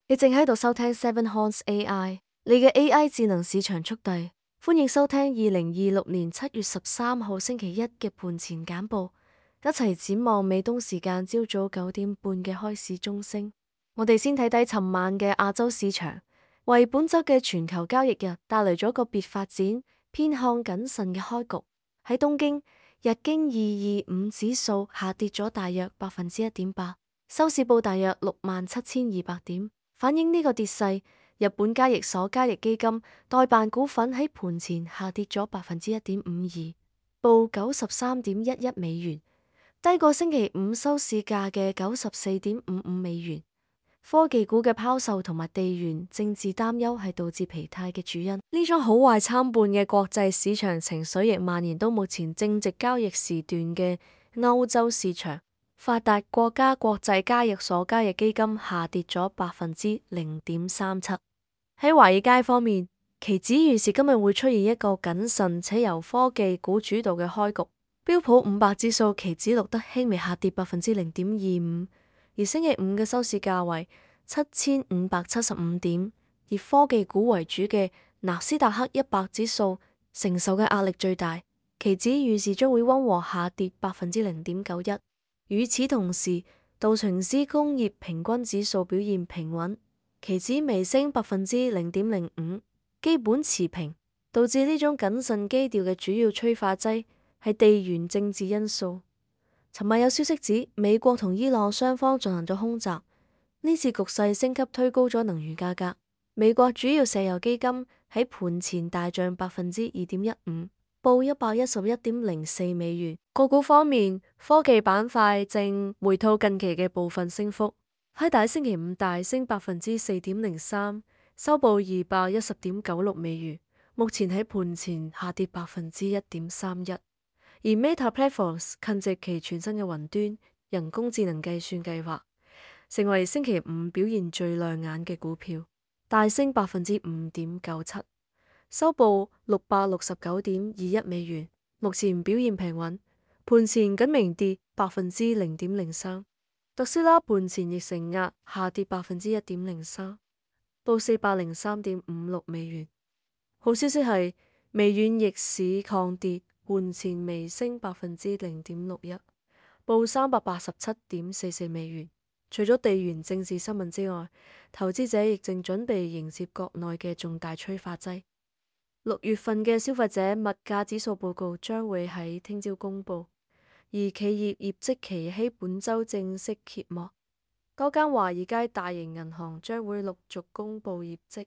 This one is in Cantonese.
你正喺度收聽 Seven Horns AI，你嘅 AI 智能市場速遞。歡迎收聽2026年7月13號星期一嘅盤前簡報，一齊展望美東時間朝早9點半嘅開市鐘聲。我哋先睇睇尋晚嘅亞洲市場，為本週嘅全球交易日帶來咗個別發展，偏向謹慎嘅開局。喺東京，日經225指數下跌咗大約1.8%，收市報大約67,200點。反映呢個跌勢，日本交易所交易基金代辦股份喺盤前下跌咗1.52%，報93.11美元，低過星期五收市價嘅94.55美元。科技股嘅拋售同埋地緣政治擔憂係導致疲態嘅主因。呢種好壞參半嘅國際市場情緒亦蔓延到目前正值交易時段嘅歐洲市場。發達國家國際交易所交易基金下跌咗0.37%。喺華爾街方面，期指預示今日會出現一個謹慎且由科技股主導嘅開局。標普500指數期指錄得輕微下跌0.25%，而星期五嘅收市價為7575點。以科技股為主嘅納斯達克100指數承受嘅壓力最大，期指預示將會溫和下跌0.91%。與此同時，道瓊斯工業平均指數表現平穩，期指微升0.05%，基本持平。導致呢種謹慎基調嘅主要催化劑係地緣政治因素。尋晚有消息指，美國同伊朗雙方進行咗空襲，呢次局勢升級推高咗能源價格。美國主要石油基金喺盤前大漲2.15%。報111.04美元。個股方面，科技板塊正回吐近期嘅部分升幅，輝達星期五大升4.03%，收報210.96美元。目前喺盤前下跌1.31%。而 Meta Platforms 近夕其全新嘅雲端人工智能計算計劃，成為星期五表現最亮眼嘅股票，大升5.97%。收報669.21美元，目前表現平穩，盤前僅微跌0.03%。特斯拉盤前亦承壓下跌1.03%，報403.56美元。好消息係微軟逆市抗跌，盤前微升0.61%，報387.44美元。除咗地緣政治新聞之外，投資者亦正準備迎接國內嘅重大催化劑。6月份嘅消費者物價指數報告將會喺聽朝公布，而企業業績期喺本週正式揭幕。多間華爾街大型銀行將會陸續公布業績，